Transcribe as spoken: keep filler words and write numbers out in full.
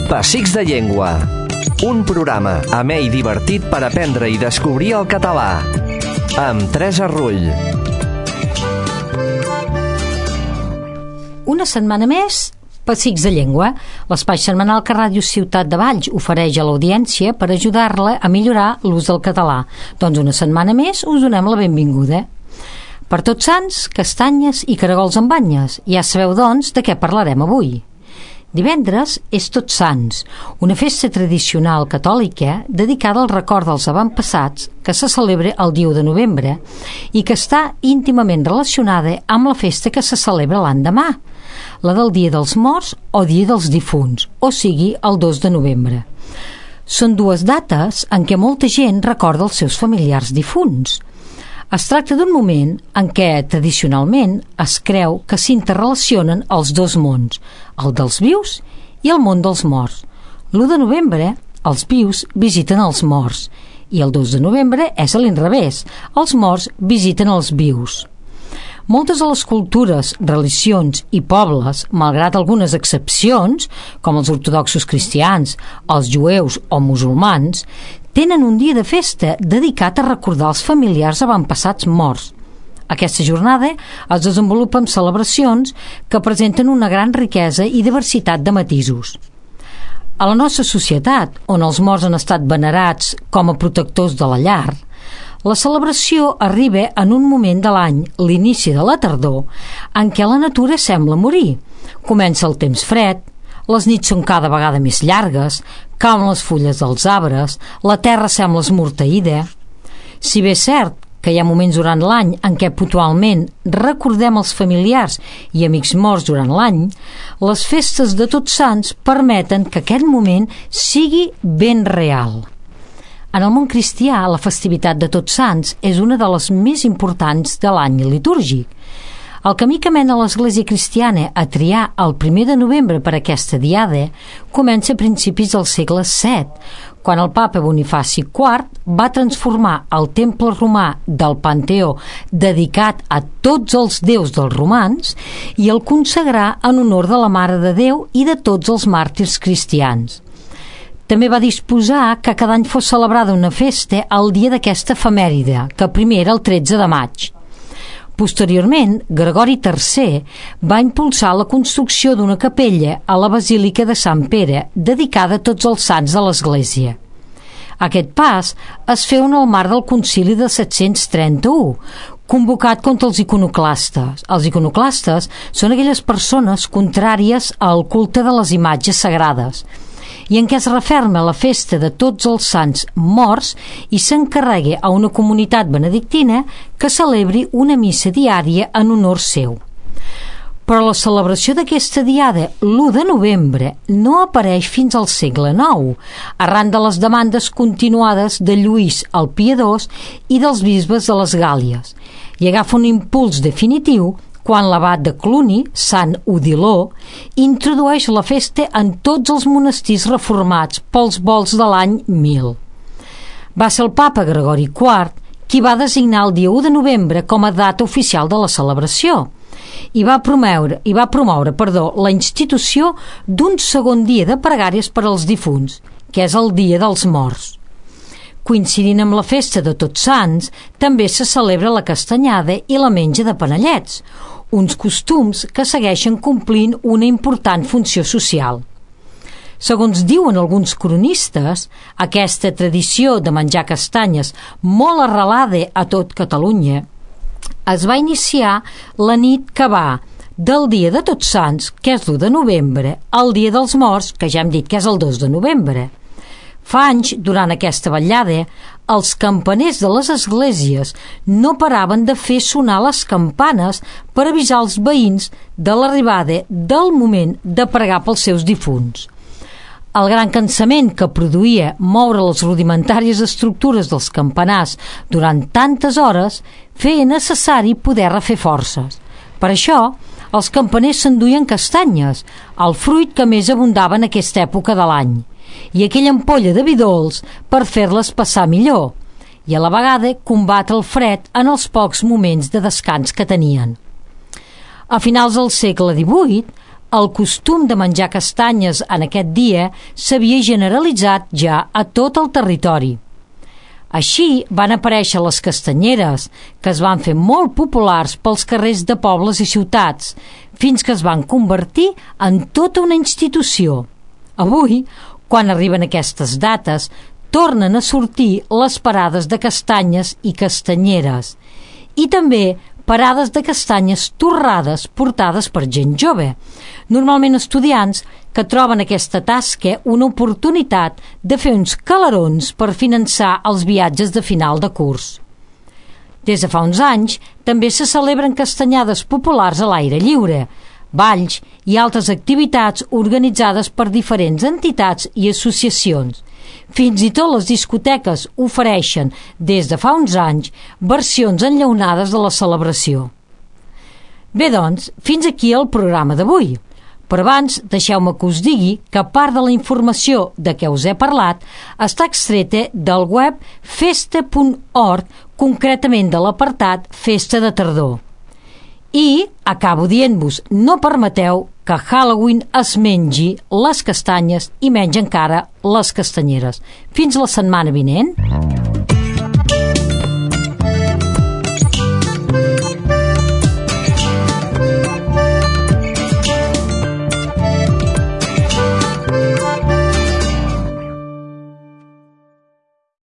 Pessics de Llengua, un programa amè i divertit per aprendre i descobrir el català, amb Teresa Rull. Una setmana més, Pessics de Llengua, l'espai setmanal que Ràdio Ciutat de Valls ofereix a l'audiència per ajudar-la a millorar l'ús del català. Doncs una setmana més us donem la benvinguda. Per Tots Sants, castanyes i caragols amb banyes. Ja sabeu, doncs, de què parlarem avui. Divendres és Tots Sants, una festa tradicional catòlica dedicada al record dels avantpassats que se celebra el dia u de novembre i que està íntimament relacionada amb la festa que se celebra l'endemà, la del Dia dels Morts o Dia dels Difunts, o sigui, el dos de novembre. Són dues dates en què molta gent recorda els seus familiars difunts. Es tracta d'un moment en què, tradicionalment, es creu que s'interrelacionen els dos mons, el dels vius i el món dels morts. l'u de novembre, els vius visiten els morts, i el dos de novembre és a l'inrevés, els morts visiten els vius. Moltes de les cultures, religions i pobles, malgrat algunes excepcions, com els ortodoxos cristians, els jueus o musulmans, tenen un dia de festa dedicat a recordar els familiars avantpassats morts. Aquesta jornada es desenvolupa amb celebracions que presenten una gran riquesa i diversitat de matisos. A la nostra societat, on els morts han estat venerats com a protectors de la llar, la celebració arriba en un moment de l'any, l'inici de la tardor, en què la natura sembla morir. Comença el temps fred, les nits són cada vegada més llargues, cauen les fulles dels arbres, la terra sembla esmorteïda. Si bé és cert que hi ha moments durant l'any en què puntualment recordem els familiars i amics morts durant l'any, les festes de Tots Sants permeten que aquest moment sigui ben real. En el món cristià, la festivitat de Tots Sants és una de les més importants de l'any litúrgic. El camí que mena l'Església cristiana a triar el primer de novembre per aquesta diada comença a principis del segle set, quan el papa Bonifaci quart va transformar el temple romà del Panteó dedicat a tots els déus dels romans i el consagrà en honor de la Mare de Déu i de tots els màrtirs cristians. També va disposar que cada any fos celebrada una festa el dia d'aquesta efemèride, que primer era el tretze de maig. Posteriorment, Gregori tercer va impulsar la construcció d'una capella a la Basílica de Sant Pere, dedicada a tots els sants de l'Església. Aquest pas es féu en el marc del concili de set-cents trenta-u, convocat contra els iconoclastes. Els iconoclastes són aquelles persones contràries al culte de les imatges sagrades, i en què es referma la festa de tots els sants morts i s'encarrega a una comunitat benedictina que celebri una missa diària en honor seu. Però la celebració d'aquesta diada, l'u de novembre, no apareix fins al segle nou, arran de les demandes continuades de Lluís el Piadós i dels bisbes de les Gàlies, i agafa un impuls definitiu quan l'abat de Cluny, Sant Odiló, introdueix la festa en tots els monestirs reformats pels volts de l'any mil. Va ser el papa Gregori quart qui va designar el dia u de novembre com a data oficial de la celebració i va promoure, i va promoure perdó, la institució d'un segon dia de pregàries per als difunts, que és el Dia dels Morts. Coincidint amb la festa de Tots Sants, també se celebra la castanyada i la menja de panellets, uns costums que segueixen complint una important funció social. Segons diuen alguns cronistes, aquesta tradició de menjar castanyes, molt arrelada a tot Catalunya, es va iniciar la nit que va del dia de Tots Sants, que és l'u de novembre, al dia dels Morts, que ja hem dit que és el dos de novembre. Fa anys, durant aquesta vetllada, els campaners de les esglésies no paraven de fer sonar les campanes per avisar els veïns de l'arribada del moment de pregar pels seus difunts. El gran cansament que produïa moure les rudimentàries estructures dels campanars durant tantes hores feia necessari poder refer forces. Per això, els campaners s'enduien castanyes, el fruit que més abundava en aquesta època de l'any, i aquella ampolla de vi dolç per fer-les passar millor, i a la vegada combatre el fred en els pocs moments de descans que tenien. A finals del segle divuit, el costum de menjar castanyes en aquest dia s'havia generalitzat ja a tot el territori. Així van aparèixer les castanyeres, que es van fer molt populars pels carrers de pobles i ciutats, fins que es van convertir en tota una institució. Avui, quan arriben aquestes dates, tornen a sortir les parades de castanyes i castanyeres, i també parades de castanyes torrades portades per gent jove, normalment estudiants que troben aquesta tasca una oportunitat de fer uns calarons per finançar els viatges de final de curs. Des de fa uns anys també se celebren castanyades populars a l'aire lliure, balls i altres activitats organitzades per diferents entitats i associacions. Fins i tot les discoteques ofereixen, des de fa uns anys, versions enllaunades de la celebració. Bé, doncs, fins aquí el programa d'avui. Però abans, deixeu-me que us digui que part de la informació de què us he parlat està extreta del web festa punt org, concretament de l'apartat Festa de Tardor. I acabo dient-vos, no permeteu que Halloween es mengi les castanyes i menys encara les castanyeres. Fins la setmana vinent.